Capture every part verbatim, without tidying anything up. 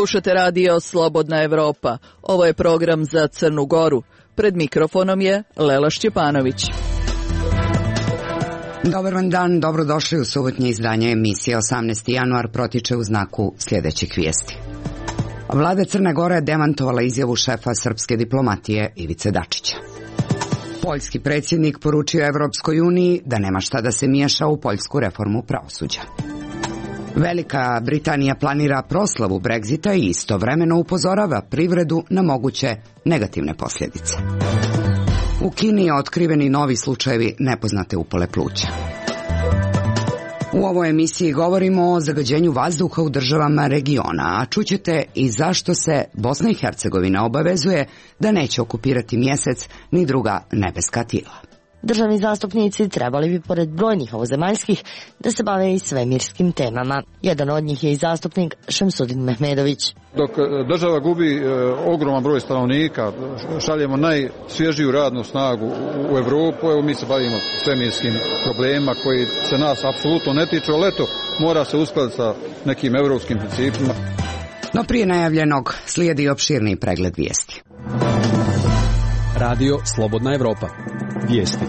Slušate radio Slobodna Evropa. Ovo je program za Crnu Goru. Pred mikrofonom je Lela Šćepanović. Dobar vam dan, dobrodošli u subotnje izdanje emisije. osamnaesti januar protiče u znaku sljedećih vijesti. Vlada Crne Gore demantovala izjavu šefa srpske diplomatije Ivice Dačića. Poljski predsjednik poručio Evropskoj uniji da nema šta da se miješa u poljsku reformu pravosuđa. Velika Britanija planira proslavu Brexita i istovremeno upozorava privredu na moguće negativne posljedice. U Kini je otkriveni novi slučajevi nepoznate upale pluća. U ovoj emisiji govorimo o zagađenju vazduha u državama regiona, a čućete i zašto se Bosna i Hercegovina obavezuje da neće okupirati Mjesec ni druga nebeska tijela. Državni zastupnici trebali bi, pored brojnih ovozemaljskih, da se bave i svemirskim temama. Jedan od njih je i zastupnik Šemsudin Mehmedović. Dok država gubi e, ogroman broj stanovnika, šaljemo najsvježiju radnu snagu u Evropu, evo mi se bavimo svemirskim problemima koji se nas apsolutno ne tiču, ali eto, mora se uskladiti sa nekim evropskim principima. No prije najavljenog slijedi opširni pregled vijesti. Radio Slobodna Evropa. Vijesti.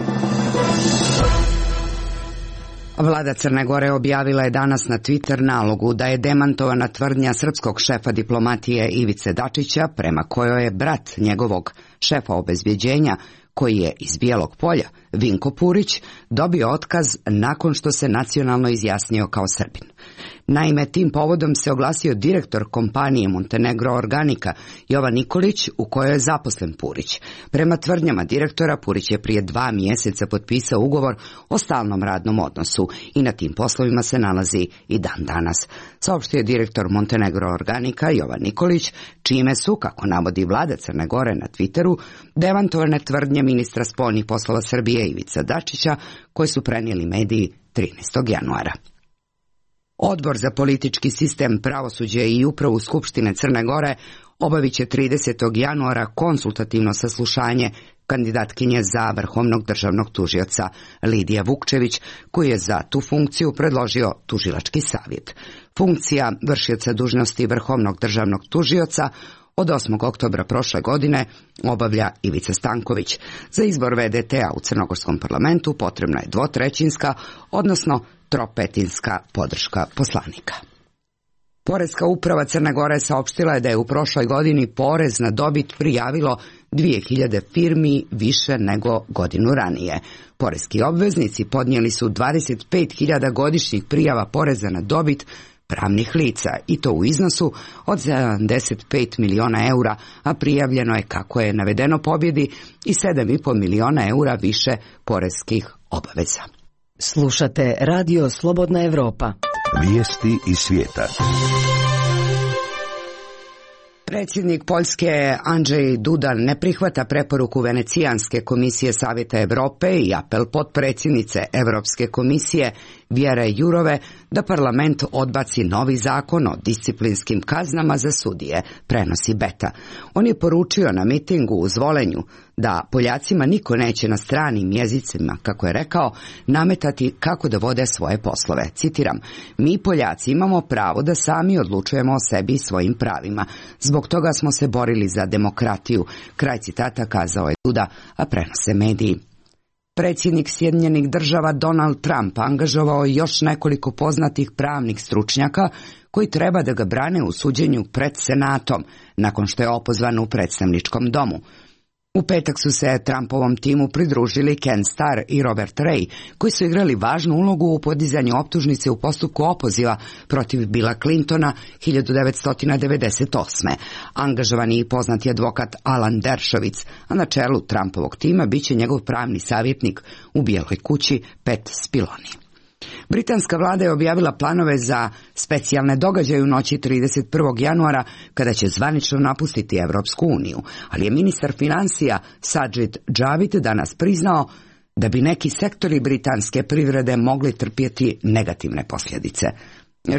Vlada Crne Gore objavila je danas na Twitter nalogu da je demantovana tvrdnja srpskog šefa diplomatije Ivice Dačića, prema kojoj je brat njegovog šefa obezbjeđenja, koji je iz Bijelog Polja, Vinko Purić, dobio otkaz nakon što se nacionalno izjasnio kao Srbin. Naime, tim povodom se oglasio direktor kompanije Montenegro Organika, Jovan Nikolić, u kojoj je zaposlen Purić. Prema tvrdnjama direktora, Purić je prije dva mjeseca potpisao ugovor o stalnom radnom odnosu i na tim poslovima se nalazi i dan danas. Saopštio je direktor Montenegro Organika, Jovan Nikolić, čime su, kako navodi vlada Crne Gore na Twitteru, demantovane tvrdnje ministra spoljnih poslova Srbije Ivica Dačića, koje su prenijeli mediji trinaestog januara. Odbor za politički sistem, pravosuđe i upravu Skupštine Crne Gore obavit će tridesetog januara konsultativno saslušanje kandidatkinje za vrhovnog državnog tužioca Lidija Vukčević, koji je za tu funkciju predložio tužilački savjet. Funkcija vršioca dužnosti vrhovnog državnog tužioca od osmog oktobra prošle godine obavlja Ivica Stanković. Za izbor ve de te a u Crnogorskom parlamentu potrebna je dvotrećinska, odnosno tropetinska podrška poslanika. Poreska uprava Crne Gore saopštila je da je u prošloj godini porez na dobit prijavilo dvije hiljade firmi više nego godinu ranije. Poreski obveznici podnijeli su dvadeset pet hiljada godišnjih prijava poreza na dobit pravnih lica, i to u iznosu od sedamdeset pet miliona eura, a prijavljeno je, kako je navedeno, pobjedi i sedam i pol miliona eura više poreskih obaveza. Slušate radio Slobodna Evropa. Vijesti iz svijeta. Predsjednik Poljske Andrzej Duda ne prihvata preporuku Venecijanske komisije Savjeta Europe i apel potpredsjednice Europske komisije Vjere Jurove da parlament odbaci novi zakon o disciplinskim kaznama za sudije, prenosi Beta. On je poručio na mitingu u Zvolenju da Poljacima niko neće na stranim jezicima, kako je rekao, nametati kako da vode svoje poslove. Citiram: mi Poljaci imamo pravo da sami odlučujemo o sebi i svojim pravima. Zbog toga smo se borili za demokratiju. Kraj citata kazao je Duda, a prenose mediji. Predsjednik Sjedinjenih država Donald Trump angažovao još nekoliko poznatih pravnih stručnjaka koji treba da ga brane u suđenju pred Senatom, nakon što je opozvan u predstavničkom domu. U petak su se Trumpovom timu pridružili Ken Starr i Robert Ray, koji su igrali važnu ulogu u podizanju optužnice u postupku opoziva protiv Billa Clintona hiljadu devetsto devedeset osme. Angažovani i poznati advokat Alan Dershowitz, a na čelu Trumpovog tima biće njegov pravni savjetnik u Bijeloj kući Pat Spiloni. Britanska vlada je objavila planove za specijalne događaje u noći trideset prvog januara, kada će zvanično napustiti Evropsku uniju, ali je ministar financija Sajid Javid danas priznao da bi neki sektori britanske privrede mogli trpjeti negativne posljedice.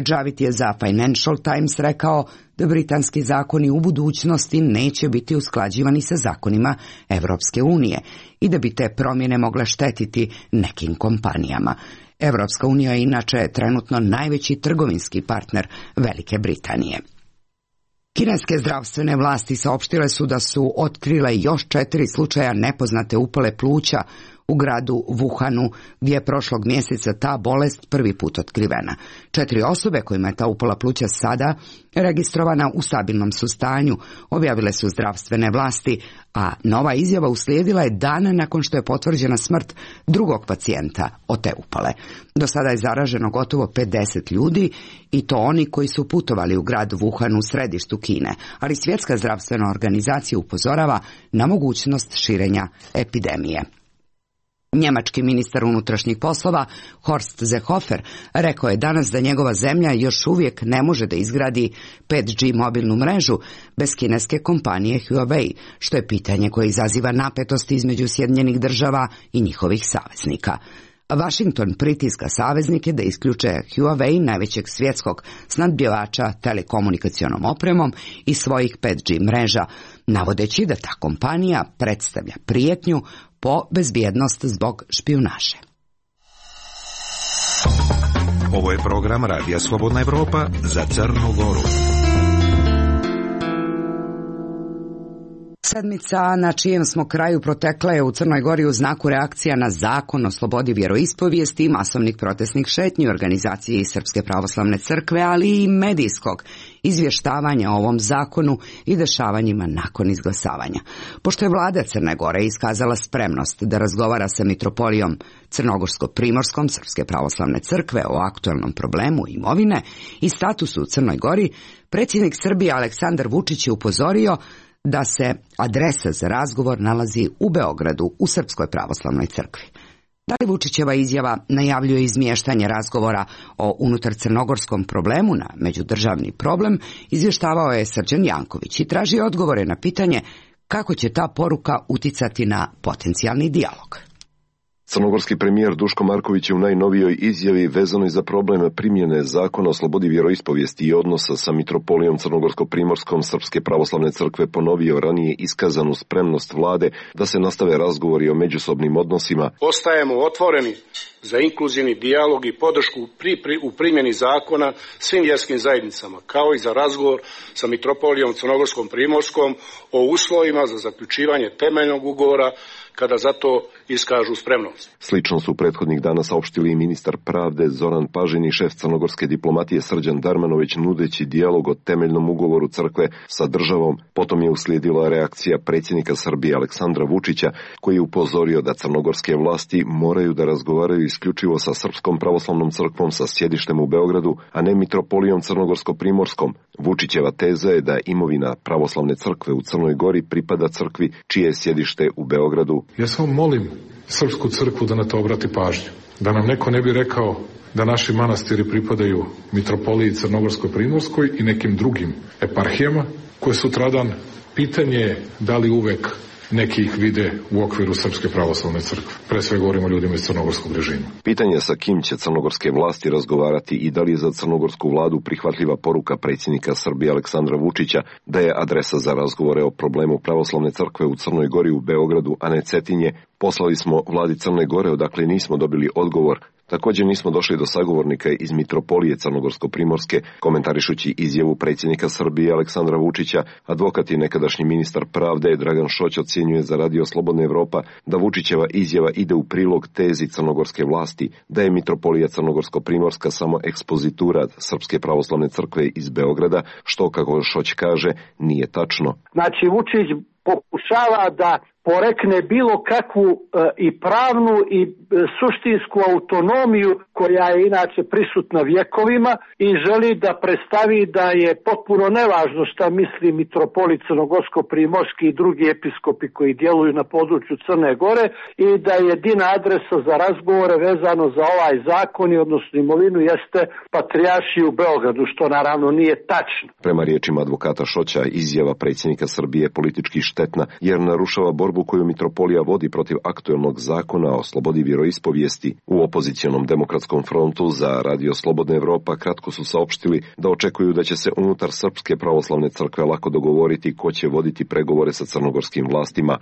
Javid je za Financial Times rekao da britanski zakoni u budućnosti neće biti usklađivani sa zakonima Evropske unije i da bi te promjene mogle štetiti nekim kompanijama. Evropska unija je inače trenutno najveći trgovinski partner Velike Britanije. Kineske zdravstvene vlasti saopštile su da su otkrile još četiri slučaja nepoznate upale pluća u gradu Wuhanu, gdje je prošlog mjeseca ta bolest prvi put otkrivena. Četiri osobe kojima je ta upala pluća sada registrovana u stabilnom su stanju, objavile su zdravstvene vlasti, a nova izjava uslijedila je dana nakon što je potvrđena smrt drugog pacijenta od te upale. Do sada je zaraženo gotovo pedeset ljudi i to oni koji su putovali u grad Wuhan u središtu Kine, ali Svjetska zdravstvena organizacija upozorava na mogućnost širenja epidemije. Njemački ministar unutrašnjih poslova Horst Seehofer rekao je danas da njegova zemlja još uvijek ne može da izgradi pet G mobilnu mrežu bez kineske kompanije Huawei, što je pitanje koje izaziva napetosti između Sjedinjenih država i njihovih saveznika. Washington pritiska saveznike da isključe Huawei, najvećeg svjetskog snabdjevača telekomunikacionom opremom, iz svojih pet G mreža, navodeći da ta kompanija predstavlja prijetnju po bezbjednost zbog špijunaže. Ovo je program Radija Slobodna Evropa za Crnu Goru. Sedmica na čijem smo kraju protekla je u Crnoj Gori u znaku reakcija na zakon o slobodi vjeroispovijesti i masovnih protestnih šetnji organizacije iz Srpske pravoslavne crkve, ali i medijskog izvještavanja o ovom zakonu i dešavanjima nakon izglasavanja. Pošto je vlada Crne Gore iskazala spremnost da razgovara sa mitropolijom Crnogorsko-Primorskom Srpske pravoslavne crkve o aktualnom problemu imovine i statusu u Crnoj Gori, predsjednik Srbije Aleksandar Vučić je upozorio da se adresa za razgovor nalazi u Beogradu u Srpskoj pravoslavnoj crkvi. Da li Vučićeva izjava najavljuje izmještanje razgovora o unutar crnogorskom problemu na međudržavni problem, izvještavao je Srđan Janković i traži odgovore na pitanje kako će ta poruka uticati na potencijalni dijalog. Crnogorski premijer Duško Marković je u najnovijoj izjavi vezanoj za problem primjene zakona o slobodi vjeroispovijesti i odnosa sa mitropolijom Crnogorsko-Primorskom Srpske pravoslavne crkve ponovio ranije iskazanu spremnost vlade da se nastave razgovori o međusobnim odnosima. Ostajemo otvoreni za inkluzivni dijalog i podršku pri, pri, u primjeni zakona svim vjerskim zajednicama, kao i za razgovor sa mitropolijom Crnogorskom-Primorskom o uslovima za zaključivanje temeljnog ugovora kada za to iskažu spremnost. Slično su prethodnih dana saopštili i ministar pravde Zoran Pažin i šef crnogorske diplomatije Srđan Darmanović, nudeći dijalog o temeljnom ugovoru crkve sa državom. Potom je uslijedila reakcija predsjednika Srbije Aleksandra Vučića, koji je upozorio da crnogorske vlasti moraju da razgovaraju isključivo sa Srpskom pravoslavnom crkvom sa sjedištem u Beogradu, a ne mitropolijom Crnogorsko-Primorskom. Vučićeva teza je da imovina pravoslavne crkve u Crnoj Gori pripada crkvi čije je sjedište u Beogradu. Ja samo molim Srpsku crkvu da na to obrati pažnju. Da nam neko ne bi rekao da naši manastiri pripadaju mitropoliji Crnogorsko-Primorskoj i nekim drugim eparhijama, koje sutradan pitanje je da li uvek neki ih vide u okviru Srpske pravoslavne crkve. Pre sve govorimo o ljudima iz crnogorskog režima. Pitanje sa kim će crnogorske vlasti razgovarati i da li je za crnogorsku vladu prihvatljiva poruka predsjednika Srbije Aleksandra Vučića da je adresa za razgovore o problemu pravoslavne crkve u Crnoj Gori u Beogradu, a ne Cetinje. Poslali smo vladi Crne Gore, odakle nismo dobili odgovor. Također nismo došli do sagovornika iz mitropolije Crnogorsko-Primorske. Komentarišući izjavu predsjednika Srbije Aleksandra Vučića, advokat i nekadašnji ministar pravde Dragan Šoć ocjenjuje za Radio Slobodna Evropa da Vučićeva izjava ide u prilog tezi crnogorske vlasti, da je mitropolija Crnogorsko-Primorska samo ekspozitura Srpske pravoslavne crkve iz Beograda, što, kako Šoć kaže, nije tačno. Znači, Vučić pokušava da porekne bilo kakvu e, i pravnu i e, suštinsku autonomiju koja je inače prisutna vjekovima i želi da predstavi da je potpuno nevažno šta misli mitropolit Crnogorsko-Primorski i drugi episkopi koji djeluju na području Crne Gore i da je jedina adresa za razgovore vezano za ovaj zakon i odnosno imovinu jeste patrijaršija u Beogradu, što naravno nije tačno. Prema riječima advokata Šoća, izjava predsjednika Srbije je politički štetna jer narušava borbu koju mitropolija vodi protiv aktuelnog zakona o slobodi vjeroispovijesti. U opozicionom demokratskom frontu za Radio Slobodna Evropa kratko su saopštili da očekuju da će se unutar Srpske pravoslavne crkve lako dogovoriti ko će voditi pregovore sa crnogorskim vlastima.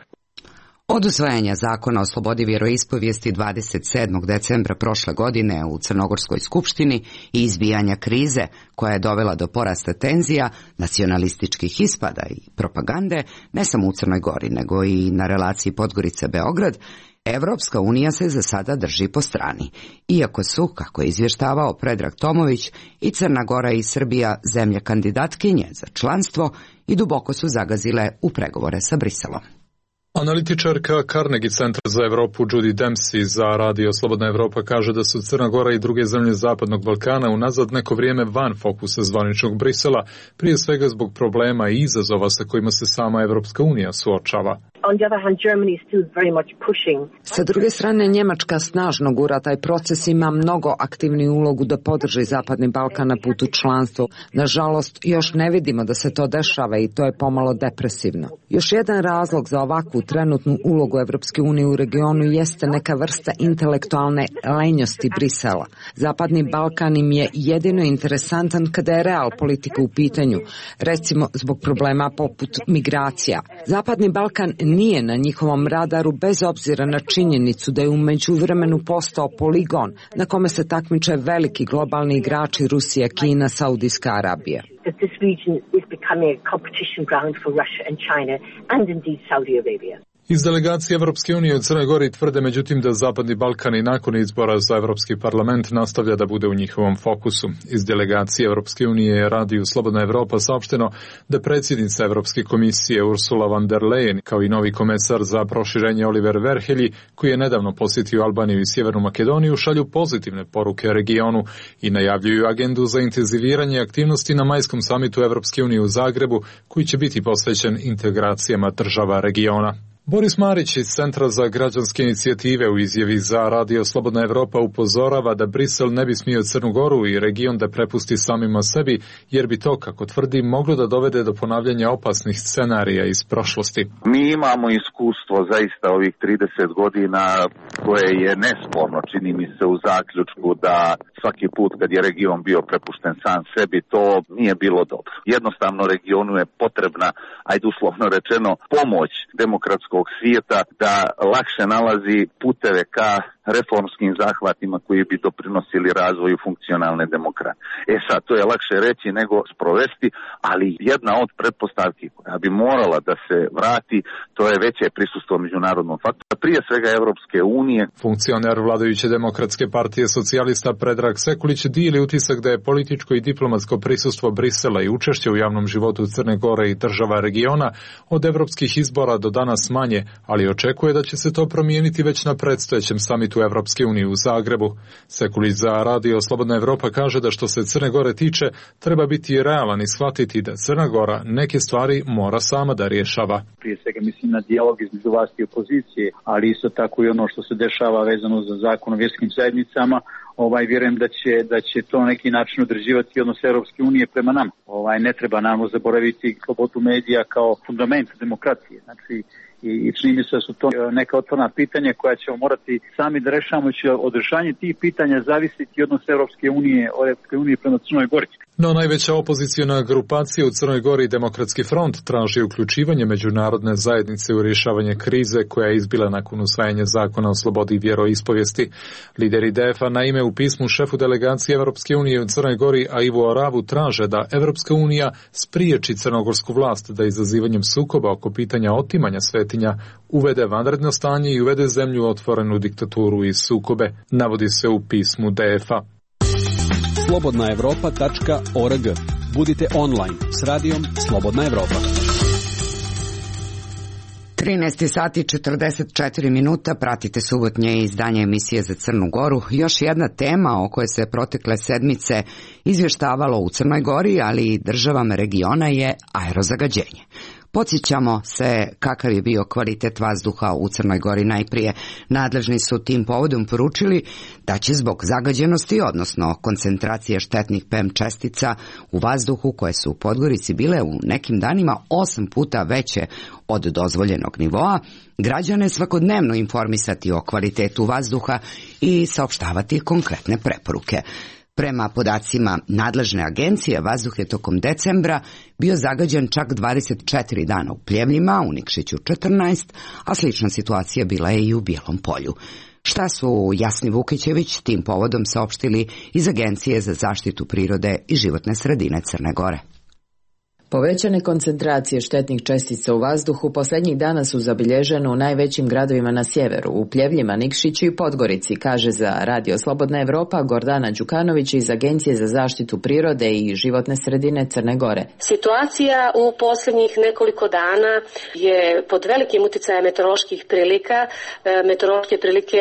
Od usvajanja zakona o slobodi vjeroispovijesti dvadeset sedmog decembra prošle godine u Crnogorskoj skupštini i izbijanja krize koja je dovela do porasta tenzija, nacionalističkih ispada i propagande, ne samo u Crnoj Gori, nego i na relaciji Podgorica-Beograd, Evropska unija se za sada drži po strani, iako su, kako je izvještavao Predrag Tomović, i Crna Gora i Srbija zemlje kandidatkinje za članstvo i duboko su zagazile u pregovore sa Briselom. Analitičarka Carnegie Centra za Evropu Judy Dempsey za Radio Slobodna Evropa kaže da su Crna Gora i druge zemlje Zapadnog Balkana unazad neko vrijeme van fokusa zvaničnog Brisela, prije svega zbog problema i izazova sa kojima se sama Evropska unija suočava. Sa druge strane, Njemačka snažno gura taj proces, ima mnogo aktivniju ulogu da podrži Zapadni Balkan na putu članstva. Nažalost, još ne vidimo da se to dešava i to je pomalo depresivno. Još jedan razlog za ovakvu trenutnu ulogu Evropske unije u regionu jeste neka vrsta intelektualne lenjosti Brisela. Zapadni Balkan im je jedino interesantan kada je real politika u pitanju, recimo zbog problema poput migracija. Zapadni Balkan nije na njihovom radaru bez obzira na činjenicu da je u međuvremenu postao poligon na kome se takmiče veliki globalni igrači Rusija, Kina, Saudijska Arabija. Iz delegacije Evropske unije u Crnoj Gori tvrde međutim da Zapadni Balkan i nakon izbora za Evropski parlament nastavlja da bude u njihovom fokusu. Iz delegacije Evropske unije je Radiju Slobodna Evropa saopšteno da predsjednica Evropske komisije Ursula von der Leyen kao i novi komesar za proširenje Oliver Verhelyi, koji je nedavno posjetio Albaniju i Sjevernu Makedoniju, šalju pozitivne poruke regionu i najavljuju agendu za intenziviranje aktivnosti na majskom samitu Evropske unije u Zagrebu, koji će biti posvećen integracijama država regiona. Boris Marić iz Centra za građanske inicijative u izjavi za Radio Slobodna Evropa upozorava da Brisel ne bi smio Crnu Goru i region da prepusti samima sebi, jer bi to, kako tvrdi, moglo da dovede do ponavljanja opasnih scenarija iz prošlosti. Mi imamo iskustvo zaista ovih trideset godina koje je nesporno, čini mi se, u zaključku da svaki put kad je region bio prepušten sam sebi, to nije bilo dobro. Jednostavno regionu je potrebna, ajde uslovno rečeno, pomoć demokratskog svijeta da lakše nalazi puteve ka reformskim zahvatima koji bi doprinosili razvoju funkcionalne demokracije. E sad, to je lakše reći nego sprovesti, ali jedna od pretpostavki koja bi morala da se vrati, to je veće prisustvo međunarodnog faktora, prije svega Evropske unije. Funkcioner vladajuće demokratske partije socijalista Predrag Sekulić dijeli utisak da je političko i diplomatsko prisustvo Brisela i učešće u javnom životu Crne Gore i država regiona od evropskih izbora do danas manje, ali očekuje da će se to promijeniti već na predstojećem samitu Evropske unije u Zagrebu. Sekulić za Radio Slobodna Evropa kaže da što se Crne Gore tiče, treba biti realan i shvatiti da Crna Gora neke stvari mora sama da rješava. Prije svega mislim na dijalog između vlasti i opozicije, ali isto tako i ono što se dešava vezano za zakon o vjerskim zajednicama. Ovaj, vjerujem da će, da će to na neki način određivati odnos Europske unije prema nama. Ovaj, ne treba nam zaboraviti slobodu medija kao fundament demokracije. Znači, i čini mi se da su to neka otvorena pitanja koja ćemo morati sami da rešavamo, će od rešavanja tih pitanja zavisiti odnos Europske unije, Europske unije prema Crnoj Gori. No najveća opozicijona grupacija u Crnoj Gori, Demokratski front, traži uključivanje međunarodne zajednice u rješavanje krize koja je izbila nakon usvajanja zakona o slobodi vjeroispovijesti. Lideri D F A naime u pismu šefu delegacije Evropske unije u Crnoj Gori, a Ivo Aravu, traže da Evropska unija spriječi crnogorsku vlast da izazivanjem sukoba oko pitanja otimanja svetinja uvede vanredno stanje i uvede zemlju otvorenu diktaturu i sukobe, navodi se u pismu D F A. slobodna evropa tačka org. Budite online s radijom Slobodna Evropa. trinaest sati četrdeset četiri minuta, pratite subotnje izdanje emisije za Crnu Goru. Još jedna tema o kojoj se protekle sedmice izvještavalo u Crnoj Gori, ali i državama regiona je aerozagađenje. Podsjećamo se kakav je bio kvalitet vazduha u Crnoj Gori. Najprije nadležni su tim povodom poručili da će zbog zagađenosti, odnosno koncentracije štetnih P M čestica u vazduhu koje su u Podgorici bile u nekim danima osam puta veće od dozvoljenog nivoa, građane svakodnevno informisati o kvalitetu vazduha i saopštavati konkretne preporuke. Prema podacima nadležne agencije, vazduh je tokom decembra bio zagađen čak dvadeset četiri dana u Pljevljima, u Nikšiću četrnaest, a slična situacija bila je i u Bijelom Polju. Šta su Jasni Vukićević tim povodom saopštili iz Agencije za zaštitu prirode i životne sredine Crne Gore? Povećane koncentracije štetnih čestica u vazduhu posljednjih dana su zabilježene u najvećim gradovima na sjeveru, u Pljevljima, Nikšiću i Podgorici, kaže za Radio Slobodna Evropa Gordana Đukanović iz Agencije za zaštitu prirode i životne sredine Crne Gore. Situacija u posljednjih nekoliko dana je pod velikim utjecajem meteoroloških prilika. Meteorološke prilike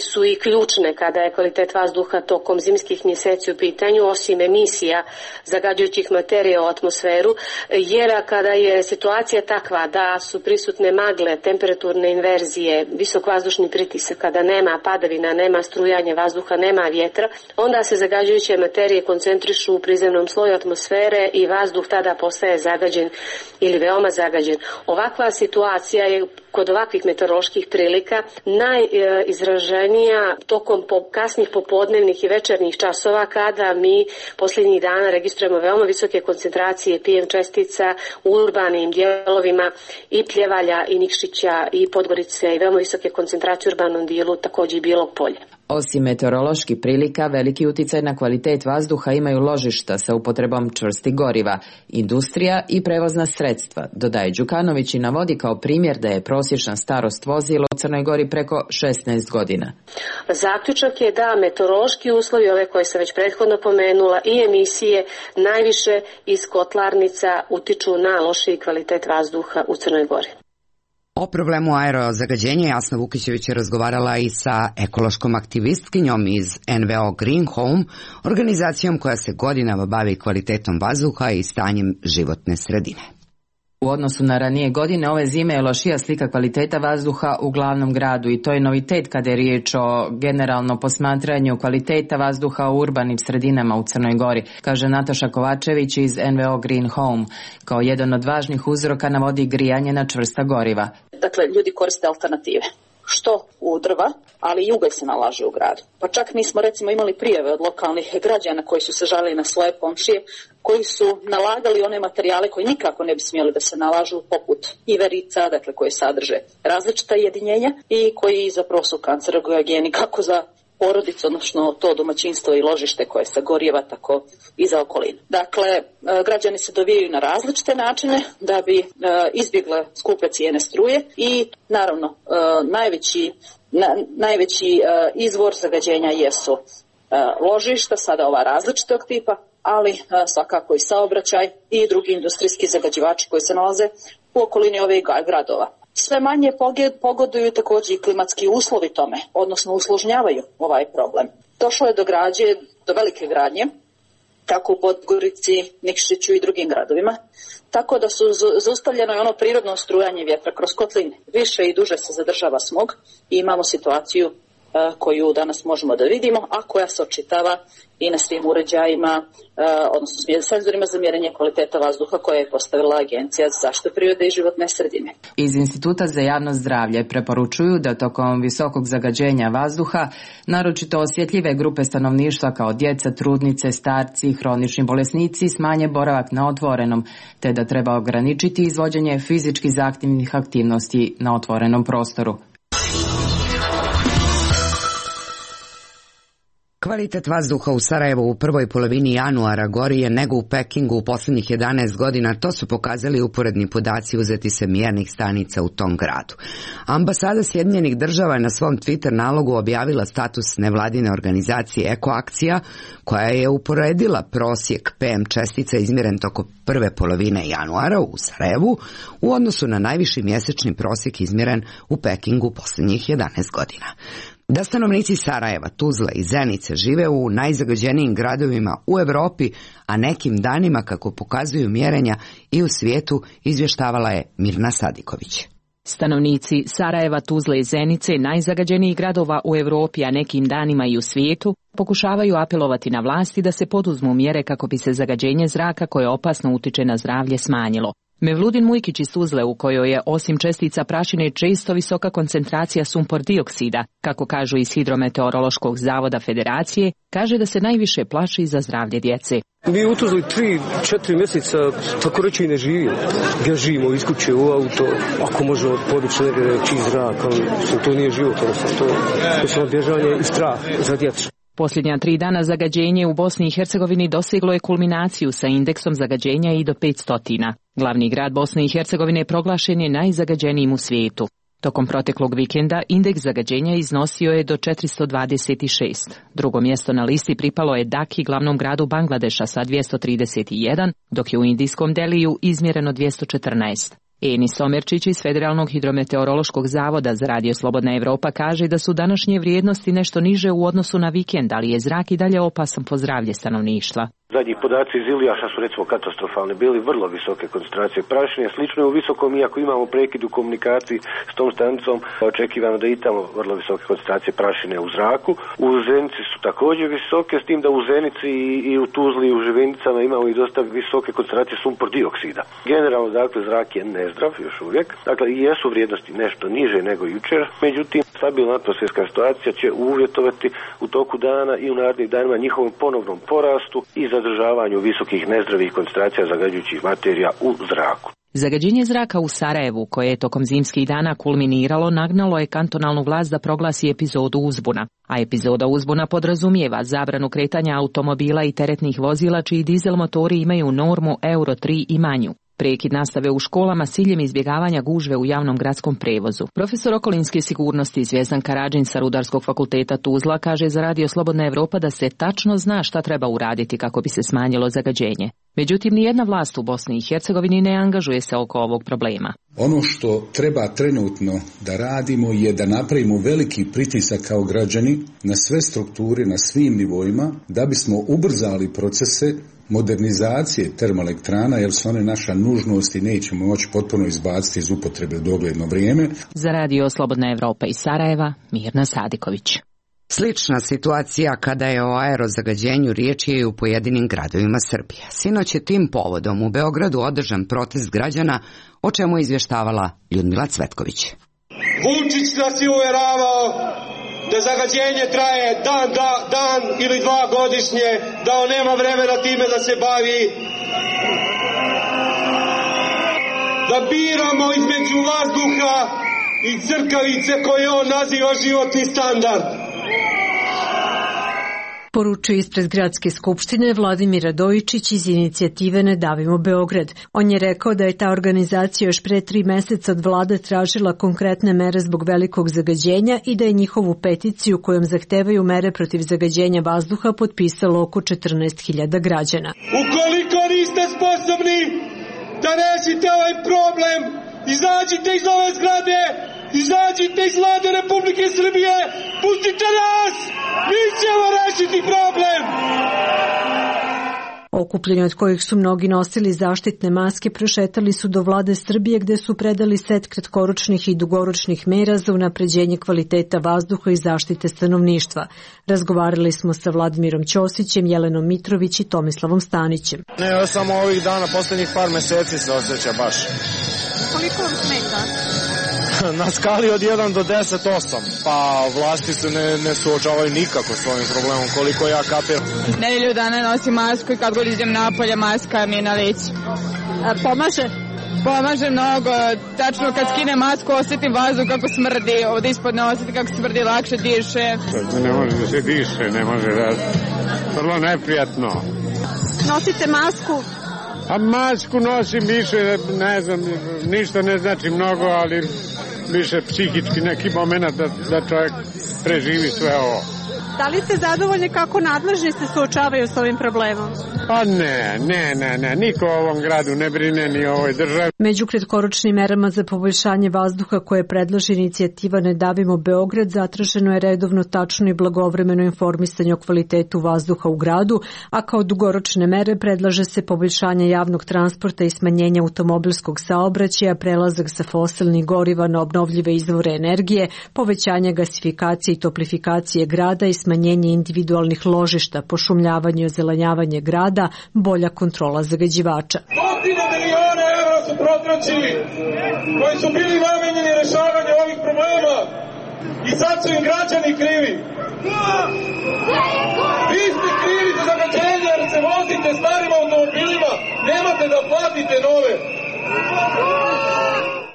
su i ključne kada je kvalitet vazduha tokom zimskih mjeseci u pitanju, osim emisija zagađujućih materija u atmosferu. Jer kada je situacija takva da su prisutne magle, temperaturne inverzije, visok vazdušni pritisak, kada nema padavina, nema strujanja vazduha, nema vjetra, onda se zagađujuće materije koncentrišu u prizemnom sloju atmosfere i vazduh tada postaje zagađen ili veoma zagađen. Ovakva situacija je kod ovakvih meteoroloških prilika najizraženija tokom kasnih popodnevnih i večernjih časova, kada mi posljednjih dana registrujemo veoma visoke koncentracije P M čestica u urbanim dijelovima i Pljevalja i Nikšića i Podgorice i veoma visoke koncentracije u urbanom dijelu također i Bijelog Polja. Osim meteoroloških prilika, veliki utjecaj na kvalitet vazduha imaju ložišta sa upotrebom čvrstih goriva, industrija i prevozna sredstva, dodaje Đukanović i navodi kao primjer da je prosječna starost vozila u Crnoj Gori preko šesnaest godina. Zaključak je da meteorološki uslovi, ove koje sam već prethodno pomenula, i emisije najviše iz kotlarnica utiču na lošiji kvalitet vazduha u Crnoj Gori. O problemu aerozagađenja Jasna Vukićević je razgovarala i sa ekološkom aktivistkinjom iz N V O Green Home, organizacijom koja se godinama bavi kvalitetom vazduha i stanjem životne sredine. U odnosu na ranije godine, ove zime je lošija slika kvaliteta vazduha u glavnom gradu i to je novitet kada je riječ o generalno posmatranju kvaliteta vazduha u urbanim sredinama u Crnoj Gori, kaže Nataša Kovačević iz N V O Green Home. Kao jedan od važnih uzroka navodi grijanje na čvrsta goriva. Dakle, ljudi koriste alternative. Što u drva, ali i ugalj se nalaže u gradu. Pa čak mi smo recimo imali prijave od lokalnih građana koji su se žalili na svoje komšije, koji su nalagali one materijale koji nikako ne bi smjeli da se nalažu, poput iverica, dakle koje sadrže različita jedinjenja i koji zapravo su kancerogeni kako za porodicu, odnosno to domaćinstvo i ložište koje se gorijeva, tako i za okolinu. Dakle, građani se dovijaju na različite načine da bi izbjegle skupe cijene struje i naravno najveći, na, najveći izvor zagađenja jesu ložišta, sada ova različitog tipa, ali svakako i saobraćaj i drugi industrijski zagađivači koji se nalaze u okolini ovih gradova. Sve manje pogoduju također i klimatski uslovi tome, odnosno usložnjavaju ovaj problem. Došlo je do građe, do velike gradnje, kako u Podgorici, Nikšiću i drugim gradovima, tako da su zaustavljeno i ono prirodno strujanje vjetra kroz kotline. Više i duže se zadržava smog i imamo situaciju koju danas možemo da vidimo, a koja se očitava i na svim uređajima, odnosno senzorima za mjerenje kvaliteta vazduha koje je postavila Agencija za zaštitu prirode i životne sredine. Iz Instituta za javno zdravlje preporučuju da tokom visokog zagađenja vazduha, naročito osjetljive grupe stanovništva kao djeca, trudnice, starci, hronični bolesnici smanje boravak na otvorenom, te da treba ograničiti izvođenje fizički zahtjevnih aktivnosti na otvorenom prostoru. Kvalitet vazduha u Sarajevu u prvoj polovini januara gori je nego u Pekingu u posljednjih jedanaest godina, to su pokazali uporedni podaci uzeti sa mjernih stanica u tom gradu. Ambasada Sjedinjenih država je na svom Twitter nalogu objavila status nevladine organizacije Ekoakcija, koja je uporedila prosjek P M čestica izmjeren tokom prve polovine januara u Sarajevu u odnosu na najviši mjesečni prosjek izmjeren u Pekingu posljednjih jedanaest godina. Da stanovnici Sarajeva, Tuzle i Zenice žive u najzagađenijim gradovima u Europi, a nekim danima, kako pokazuju mjerenja, i u svijetu, izvještavala je Mirna Sadiković. Stanovnici Sarajeva, Tuzle i Zenice, najzagađenijih gradova u Europi, a nekim danima i u svijetu, pokušavaju apelovati na vlasti da se poduzmu mjere kako bi se zagađenje zraka koje opasno utiče na zdravlje smanjilo. Mevludin Mujkić iz Tuzle, u kojoj je osim čestica prašine često visoka koncentracija sumpor dioksida, kako kažu iz Hidrometeorološkog zavoda Federacije, kaže da se najviše plaši za zdravlje djece. Mi u Tuzli tri, četiri mjeseca tako reći i ne živimo. Ja živimo iz kuće u auto, ako možemo podići negdje čist zrak, ali to nije život, to je samo bježanje i strah za djecu. Posljednja tri dana zagađenje u Bosni i Hercegovini doseglo je kulminaciju sa indeksom zagađenja i do petsto. Glavni grad Bosne i Hercegovine proglašen je najzagađenijim u svijetu. Tokom proteklog vikenda indeks zagađenja iznosio je do četiristo dvadeset šest. Drugo mjesto na listi pripalo je Daki, glavnom gradu Bangladeša, sa dvjesto trideset jedan, dok je u indijskom Deliju izmjereno dvjesto četrnaest. Eni Somerčić iz Federalnog hidrometeorološkog zavoda za Radio Slobodna Evropa kaže da su današnje vrijednosti nešto niže u odnosu na vikend, ali je zrak i dalje opasan po zdravlje stanovništva. Zadnji podaci iz Ilijaša su recimo katastrofalni, bili vrlo visoke koncentracije prašine, slično je u visokom, iako imamo prekid u komunikaciji s tom stanicom, očekivano da i tamo vrlo visoke koncentracije prašine u zraku. U Zenici su također visoke, s tim da u Zenici i, i u Tuzli i u Živenicama imamo i dosta visoke koncentracije sumpor dioksida. Generalno, dakle, zrak je nezdrav još uvijek, dakle i jesu vrijednosti nešto niže nego jučer, međutim, stabilna atmosferska situacija će uvjetovati u toku dana i u narednih danima njihovom ponovnom porastu i zadržavanju visokih nezdravih koncentracija zagađujućih materija u zraku. Zagađenje zraka u Sarajevu, koje je tokom zimskih dana kulminiralo, nagnalo je kantonalnu vlast da proglasi epizodu uzbuna. A epizoda uzbuna podrazumijeva zabranu kretanja automobila i teretnih vozila čiji dizel motori imaju normu Euro tri i manju. Prekid nastave u školama s ciljem izbjegavanja gužve u javnom gradskom prevozu. Profesor okolinske sigurnosti Zvjezdan Karadžin sa Rudarskog fakulteta Tuzla kaže za Radio Slobodna Evropa da se tačno zna šta treba uraditi kako bi se smanjilo zagađenje. Međutim, nijedna vlast u Bosni i Hercegovini ne angažuje se oko ovog problema. Ono što treba trenutno da radimo je da napravimo veliki pritisak kao građani na sve strukture, na svim nivoima, da bismo ubrzali procese modernizacije termoelektrana, jer su one naša nužnost i nećemo moći potpuno izbaciti iz upotrebe u dogledno vrijeme. Za Radio Slobodna Evropa iz Sarajeva, Mirna Sadiković. Slična situacija kada je o aerozagađenju riječ je i u pojedinim gradovima Srbije. Sinoć je tim povodom u Beogradu održan protest građana, o čemu je izvještavala Ljudmila Cvetković. Vučić nas je uveravao da zagađenje traje dan, da, dan ili dva godišnje, da on nema vremena time da se bavi, da biramo između vazduha i crkavice koje on naziva životni standard. Poručuje ispred Gradske skupštine Vladimir Radojičić iz inicijative Ne davimo Beograd. On je rekao da je ta organizacija još pre tri meseca od vlade tražila konkretne mere zbog velikog zagađenja i da je njihovu peticiju kojom zahtevaju mere protiv zagađenja vazduha potpisalo oko četrnaest hiljada građana. Ukoliko niste sposobni da rešite ovaj problem, izađite iz ove zgrade, izađite iz Vlade Republike Srbije, pustite nas, mi ćemo rešiti problem. Okupljeni od kojih su mnogi nosili zaštitne maske prošetali su do Vlade Srbije gde su predali set kratkoročnih i dugoročnih mera za unapređenje kvaliteta vazduha i zaštite stanovništva. Razgovarali smo sa Vladimirom Ćosićem, Jelenom Mitrović i Tomislavom Stanićem. Ne, samo ovih dana, posljednjih par meseci se osjeća baš. Koliko vam smeta? Na skali od jedan do deset, osam. Pa vlasti se ne, ne suočavaju nikako s ovim problemom, koliko ja kapiram. Nedelju dana nosim masku i kad god idem napolje maska mi je na licu. A pomaže? Pomaže mnogo. Tačno kad skinem masku osjetim vazduh kako smrdi. Ovdje ispod ne osjetim kako smrdi, lakše diše. Ne može da se diše, ne može da... Vrlo neprijatno. Nosite masku? A masku nosim više, ne znam, ništa ne znači mnogo, ali više psihički neki moment da, da čovjek preživi sve ovo. Da li ste zadovoljni kako nadležni se suočavaju s ovim problemom? Pa ne, ne, ne, ne, niko u ovom gradu ne brine ni o ovoj državi. Među kratkoročnim merama za poboljšanje vazduha koje predlaže inicijativa Ne davimo Beograd zatraženo je redovno, tačno i blagovremeno informisanje o kvalitetu vazduha u gradu, a kao dugoročne mere predlaže se poboljšanje javnog transporta i smanjenje automobilskog saobraćaja, prelazak sa fosilnih goriva na obnovljive izvore energije, povećanje gasifikacije i toplifikacije grada i smanjenje individualnih ložišta, pošumljavanje i ozelenjavanje grada, bolja kontrola zagađivača. Stotine miliona evra su protraćili, koji su bili namenjeni rešavanju ovih problema i sad su im građani krivi. Vi ste krivi za zagađenje jer se vozite starim automobilima, nemate da platite nove.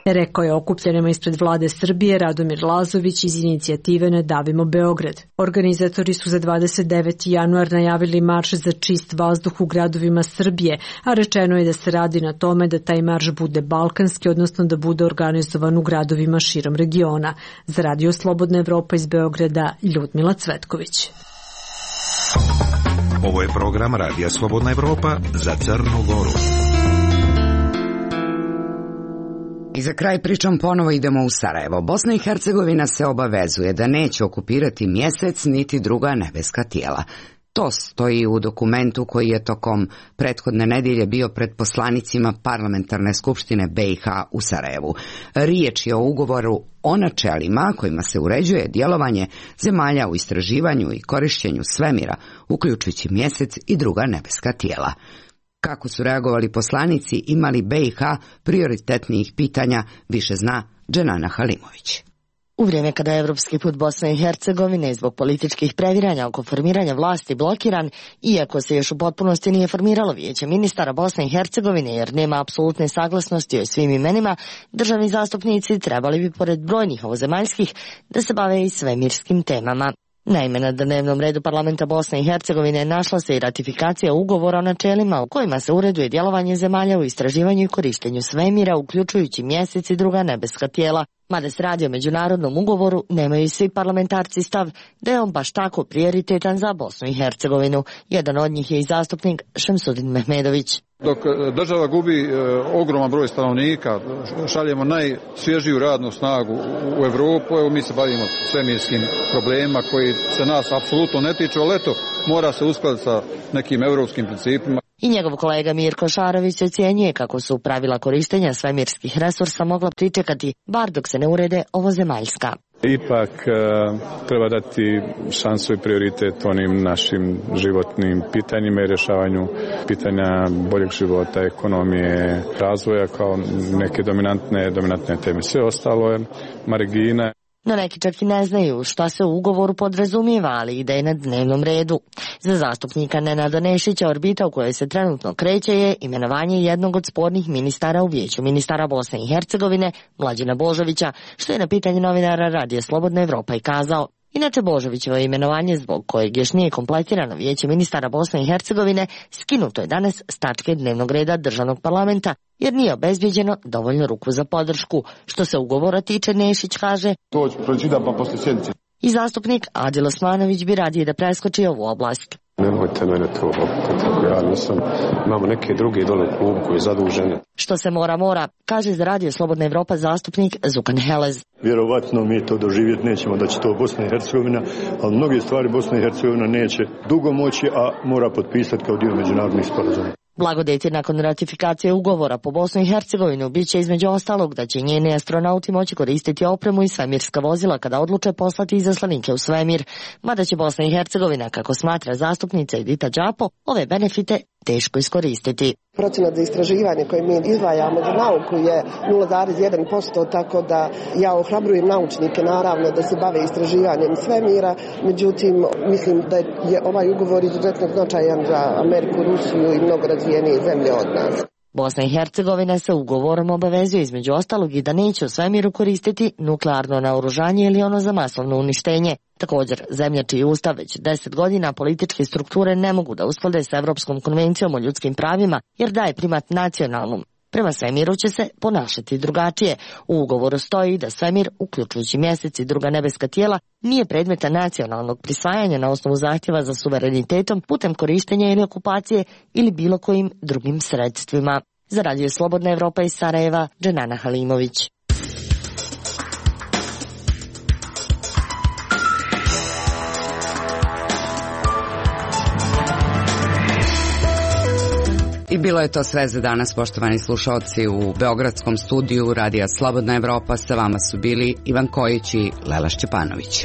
Rekao je okupljenima ispred vlade Srbije Radomir Lazović iz inicijative Ne davimo Beograd. Organizatori su za dvadeset deveti januar najavili marš za čist vazduh u gradovima Srbije, a rečeno je da se radi na tome da taj marš bude balkanski, odnosno da bude organizovan u gradovima širom regiona. Za Radio Slobodna Evropa iz Beograda, Ljudmila Cvetković. Ovo je program Radija Slobodna Evropa za Crnu Goru. I za kraj pričom ponovo idemo u Sarajevo. Bosna i Hercegovina se obavezuje da neće okupirati Mjesec niti druga nebeska tijela. To stoji u dokumentu koji je tokom prethodne nedjelje bio pred poslanicima Parlamentarne skupštine B i H u Sarajevu. Riječ je o ugovoru o načelima kojima se uređuje djelovanje zemalja u istraživanju i korištenju svemira, uključujući Mjesec i druga nebeska tijela. Kako su reagovali poslanici, imali B i H prioritetnijih pitanja, više zna Dženana Halimović. U vrijeme kada je evropski put Bosne i Hercegovine zbog političkih previranja oko formiranja vlasti blokiran, iako se još u potpunosti nije formiralo vijeće ministara Bosne i Hercegovine jer nema apsolutne saglasnosti o svim imenima, državni zastupnici trebali bi pored brojnih ovozemaljskih da se bave i svemirskim temama. Naime, na dnevnom redu parlamenta Bosne i Hercegovine našla se i ratifikacija ugovora o načelima u kojima se ureduje djelovanje zemalja u istraživanju i korištenju svemira, uključujući Mjesec i druga nebeska tijela. Mada se radi o međunarodnom ugovoru, nemaju i svi parlamentarci stav da je on baš tako prioritetan za Bosnu i Hercegovinu. Jedan od njih je i zastupnik Šemsudin Mehmedović. Dok država gubi e, ogroman broj stanovnika, šaljemo najsvježiju radnu snagu u Evropu, evo mi se bavimo svemirskim problemima koji se nas apsolutno ne tiču, ali eto, mora se uskladiti sa nekim evropskim principima. I njegov kolega Mirko Šarović ocjenjuje kako su pravila korištenja svemirskih resursa mogla pričekati, bar dok se ne urede ovozemaljska. Ipak e, treba dati šansu i prioritet onim našim životnim pitanjima i rješavanju pitanja boljeg života, ekonomije, razvoja kao neke dominantne, dominantne teme. Sve ostalo je margina. No neki čak i ne znaju šta se u ugovoru podrazumijeva, ali ide na dnevnom redu. Za zastupnika Nenada Nešića orbita u kojoj se trenutno kreće je imenovanje jednog od spornih ministara u vijeću ministara Bosne i Hercegovine, Mlađana Božovića, što je na pitanje novinara Radija Slobodna Evropa i kazao. Inače, Božovićevo imenovanje, zbog kojeg još nije kompletirano vijeće ministara Bosne i Hercegovine, skinuto je danas s tačke dnevnog reda državnog parlamenta, jer nije obezbijeđeno dovoljno ruku za podršku. Što se ugovora tiče, Nešić kaže, to ću pročitam pa poslije sjednice. I zastupnik Adil Osmanović bi radije da preskoči ovu oblast. Nemojte mene to opet, ja nisam, imamo neke druge dole u klubu koji je zaduženi. Što se mora, mora, kaže za Radio Slobodna Evropa zastupnik Zukan Helez. Vjerovatno mi to doživjeti nećemo da će to Bosna i Hercegovina, ali mnoge stvari Bosna i Hercegovina neće dugo moći, a mora potpisati kao dio međunarodnih sporazuma. Blagodeti nakon ratifikacije ugovora po Bosnu i Hercegovinu bit će između ostalog da će njeni astronauti moći koristiti opremu i svemirska vozila kada odluče poslati izaslanike u svemir. Mada će Bosna i Hercegovina, kako smatra zastupnica Edita Đapo, ove benefite teško iskoristiti. Procenat za istraživanje koje mi izdvajamo za nauku je nula zarez jedan posto, tako da ja ohrabrujem naučnike naravno da se bave istraživanjem svemira, međutim mislim da je ovaj ugovor izuzetno značajan za Ameriku, Rusiju i mnogo razvijenije zemlje od nas. Bosna i Hercegovina se ugovorom obavezuje između ostalog i da neće u svemiru koristiti nuklearno naoružanje ili ono za masovno uništenje. Također, zemlja čiji ustav već deset godina političke strukture ne mogu da usklade s Evropskom konvencijom o ljudskim pravima jer daje primat nacionalnom. Prema svemiru će se ponašati drugačije. U ugovoru stoji da svemir, uključujući Mjesec i druga nebeska tijela, nije predmeta nacionalnog prisvajanja na osnovu zahtjeva za suverenitetom putem korištenja ili okupacije ili bilo kojim drugim sredstvima. Za Radio Slobodna Evropa iz Sarajeva, Dženana Halimović. I bilo je to sve za danas, poštovani slušalci. U beogradskom studiju Radija Slobodna Evropa sa vama su bili Ivan Kojić i Lela Šćepanović.